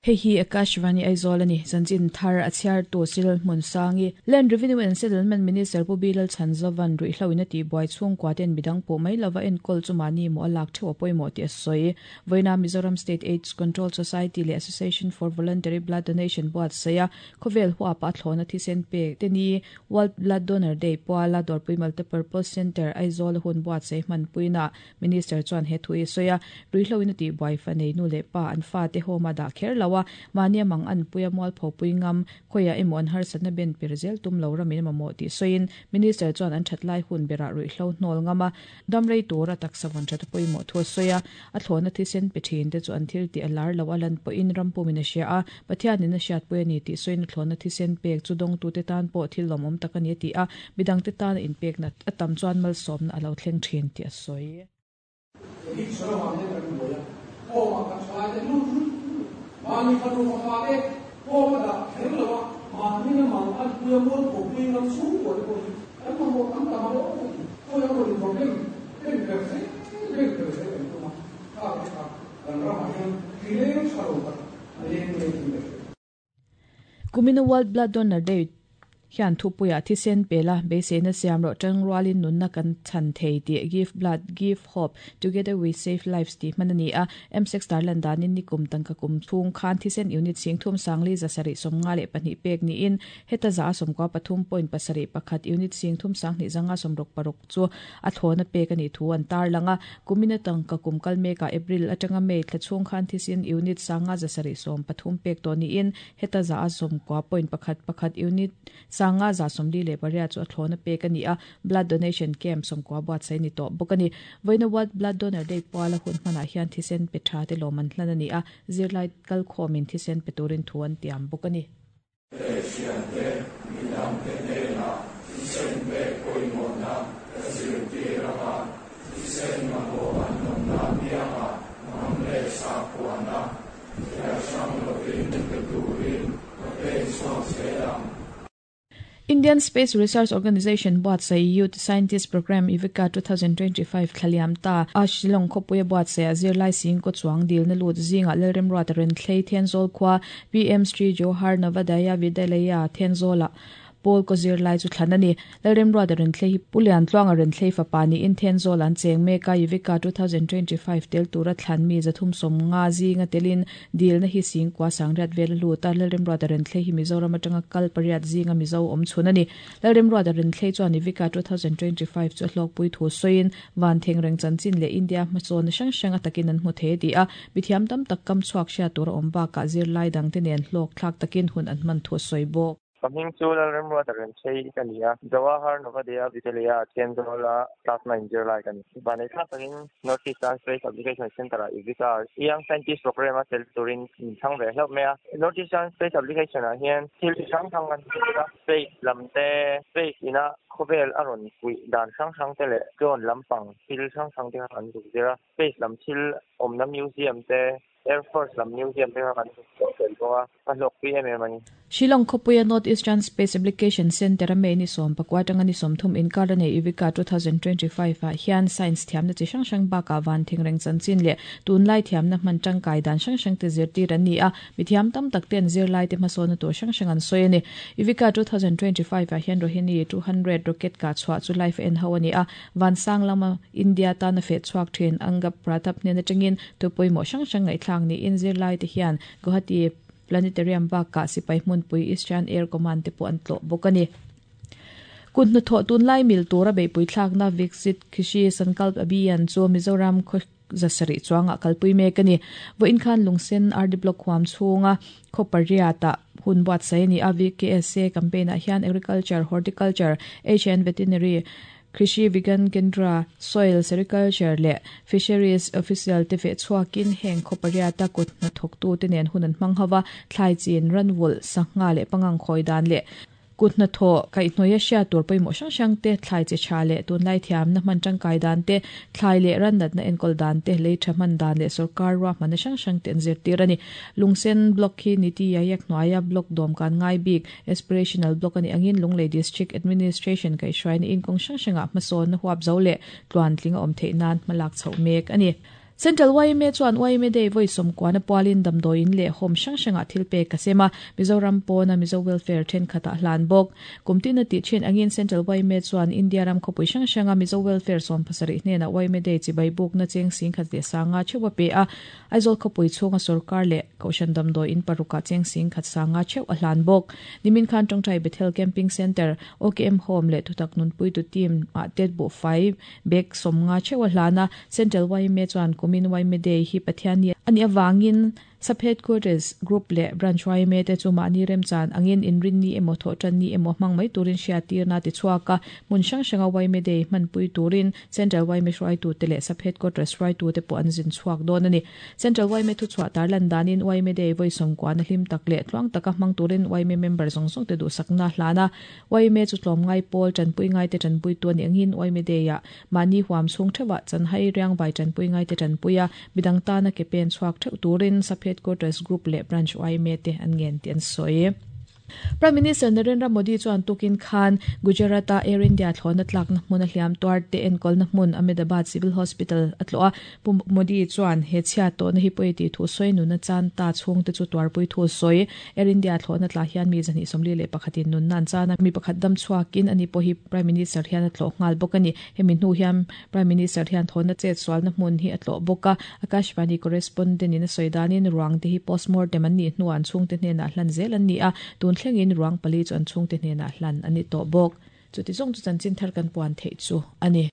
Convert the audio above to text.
Hei hi Akashvani Aizawl a ni. Chanchin thar a chhiartu Cyril Hmunsangi, Land Revenue and Settlement Minister Pu Bilal Chhanzovan ruihhlo in a tihbuai chhungkua ten midang pawh mai lova enkawl chu mahni maw a lak theuh a pawimawh tih a sawi. Vawiina Mizoram State AIDS Control Society leh Association for Voluntary Blood Donation buatsaih a khawvel huapa a thlawhna thisen pek te ni World Blood Donor Day puala Dawrpui Multipurpose Centre Aizawl a hun buatsaih hmanpuinaah Minister chuan he thu hi a sawi a, ruihhlo in a tihbuai fa nei nu leh pa an fate home a dah kher lo a, mahni a mang an pui a mualpho pui ngam, khawiah emaw an harsatna ben per zel tum lo ramin a mamawh tih sawiin Minister chuan an that lai hun berah ruihhlo hnawl ngam a, dam rei tura taksa vawn that a pawimawh thu a sawi a, a thlawhna thisen pe thin te chu an thil tih a lar lo a lan pawhin ram pumin a hria a, Pathianin a hriatpui a ni tih sawiin a thlawhna thisen pek chu dawngtute tan pawh thil lawmawm tak a ni a ti a, midangte tana inpekna a tam chuan malsawmna a lo thleng thin tih a sawi. Addiction avang hian kan buai a, home ah kan thalai te lut lut lut. Mahni fanu fapa te home a dah kher lo a, mahni na mang an pui a mual pho pui ngam chhungkua te pawh hi kan mamawh tam tam a awm a ti. Khawi a rawn inrawm em em ber zel em ber zel kan tum a, khang te kha kan ramah hian hrileng tha lo tak a leng leng in ka hria. Kumina World Blood Donor Day hian thupuiah thisen pela beiseina siam rawh tangrualin nunna kan chhan thei tih Give Blood, Give Hope, Together We Save Lives tih hman a ni a. M-Sex tarlan danin nikum tangka kum chhung khan thisen unit singthum sangli 752 pek niin heta 94.71 unit singthum sanghnih zanga 66 chu a thlawna pek a nih thu an tarlang a. Kumina tangka kum kal mekah April atanga May thla chhung khan thisen unit sanga 730 pek tawh niin heta 90.11 unit sanga 48 chu a thlawna pek a ni a, blood donation camp 90 buatsaih a ni tawh bawk a ni. Vawiina World Blood Donor Day puala hun hmanah hian thisen pe tha te lawm an hlan a ni a, zirlai kalkhawmin thisen pe turin thu an tiam bawk a ni. Hriate midangte hnenah thisen pek pawimawhna ka zirtir ang a, thisen mamawh an awmna apiangah hnam leh sakhuana thliar hrang lovin pe turin ka pen chhuak zel ang. Indian Space Research Organisation buatsaih Youth Scientist Programme Ivika 2025 thlaliam ta a Shillong khawpuia buatsaih a zirlai singkaw chuang dilna lut zingah Lalremruata Renthlei Thenzawl khua PM Shri Jawahar Navodaya Vidyalaya Thenzawlah Pawl kaw zirlai chu thlan a ni. Lalremruata Renthlei hi Pu Liantluanga Renthlei fapa niin Thenzawl an cheng mek a, Yuvika 2025 tel tura thlan mi 350 zinga telin dilna hi singkua sangriat vel a lut a, Lalremruata Renthlei hi Mizoram atanga kal pariat zinga Mizo awm chhun a ni. Lalremruata Renthlei chuan Yuvika 2025 chu a hlawkpui thu sawiin Van thengreng chanchin leh India hmasawnna hrang hrang a takin an hmu thei a ti a, mithiam tam tak kam chhuak hriat tur a awm bakah zirlai dangte nen hlawk thlak takin hun an hman thu a sawi bawk. Ka hming chu Lalremruata Remchei ka ni a, Jawahar Navodaya Vidyalaya Thenzawl-a class 9 zirlai ka ni. Vanei thlak takin North Eastern Space Application Centre-ah Ivika Young Scientist Programme-a tel turin min chhang ve hlauh mai a. North Eastern Space Application-ah hian thil chi hrang hrang kan hmu a, Space lam te, space ina khawvel a rawn puih dan hrang hrang te leh drone lampang thil hrang hrang te kha kan zuk zir a. Space lam thil awmna museum te, Air Force lam museum te kha kan zuk chhuah tel bawk a, ka hlawkpui em em a ni. Shillong khawpuia North Eastern Space Application Centre a May ni 19 atanga ni 30 inkar a nei Ivika 2025 ah hian science thiamna chi hrang hrang bakah van thingreng chanchin leh tunlai thiamna hman tangkai dan hrang hrang te zirtir an ni a. Mithiam tam tak ten zirlaite hmasawnna tur hrang hrang an sawi a ni. Ivika 2025 ah hian Rohini 200 rocket kah chhuah chu live a en ho a ni a, Vansang lama India tana feh chhuak thin Angap Pratap hnen atangin thu pawimawh hrang hrang ngaihthlak niin zirlaite hian Guwahati Planetarium bakah sipai hmunpui Eastern Air Command te pawh an tlawh bawk a ni. Kut hnathawh tunlai mil tura beihpui thlakna Viksit Krishi Sankalp Abhiyan chu Mizoram khaw 700 chuangah kalpui mek a ni. Vawiin khan Lungsen RD Block huam chhunga khaw pariatah hun buatsaih a ni a, VKSA campaign-ah hian Agriculture, Horticulture, HN Veterinary, Krishi Vigyan Kendra, Soil, Sericulture leh Fisheries official te veh chhuakin heng khaw pariata kut hnathawktute nen hun an hmang ho va, thlai chin, ranvulh, sangha leh pangang khawi dan leh Kut hnathawh kaihhnawih a hriat tur pawimawh hrang hrang te, thlai chi tha leh tunlai thiamna hman tangkai dan te, thlai leh ran natna enkawl dan te, lei tha hman dan leh sorkar ruahmanna hrang hrang te an zirtir a ni. Lungsen Block hi Niti Aayog hnuaia Block dawm kan ngai bik, Aspirational Block a nih angin Lunglei District Administration kaihhruaina in kawng hrang hrangah hmasawnna huap zo leh tluantling a awm theih nan hmalak chhoh mek a ni. Central yma chuan yma Day vawi sawmkuana pualin damdawiin leh home hrang hrangah thil pek a sem a, Mizoram pawna Mizo Welfare thenkhatah hlan bawk. Kum tina tih thin angin Central yma chuan India ram khawpui hrang hranga Mizo Welfare 70 hnenah yma Day chibai bukna cheng singkhat leh sanga theuh a pe a, Aizawl khawpui chhunga sorkar leh Kohhran damdawiin parukah cheng singkhat sanga theuh a hlan bawk. Nimin khan Tawngtai Bethel Camping Centre, OKM Home leh Thutak Nunpuitu Team ah tet buhfai bag 50 theuh a hlan a, Central yma chuan kumin yma Day hi Pathianni a nih avangin Sub Headquarters Group leh Branch yma te chu mahni remchan angin inrinni emaw thawhtanni emaw hmang mai turin hriattirna ti chhuak a, hmun hrang hranga yma Day hmanpui turin Central yma hruaitute leh Sub Headquarters hruaitute pawh an zin chhuak dawn a ni. Central yma thuchhuah tarlan danin yma Day vawi sawmkuana hlim tak leh tluang taka hmang turin yma member zawng zawng te duhsakna a hlan a, yma chu tlawmngai pawl tanpui ngaite tanpuitu a nih angin yma Day-ah Mahni huam chhung theuhah chanhai riangvai tanpui ngaite tanpui a, midang tana ke pen chhuak theuh turin Sub Headquarters Group leh Branch yma te an ngen tih an sawi. Prime Minister Narendra Modi chuan tukin khan Gujarat-a Air India thlawhna tlakna hmuna hliam tuar te enkawlna hmun Ahmedabad Civil Hospital a tlawh a. Pu Modi chuan he chhiat tawhna hi pawi tih thu sawi nuna chan ta chhungte chu tuarpui thu sawi. Air India thlawhna tlah hian mi 221 in nunna an chan a, mi pakhat dam chhuakin ani pawh hi Prime Minister hian a tlawh nghal bawk a ni. Hemi hnu hian Prime Minister hian thlawhna chet sualna hmun hi a tlawh bawk a, Akashvani correspondent in a sawi danin ruang te hi postmortem an nih hnuah an chhungte hnenah hlan zel an ni a, tun thlengin ruang pali chu an chhungte hnenah hlan a ni tawh bawk. Chuti zawng chu chanchin thar kan puan theih chu a ni.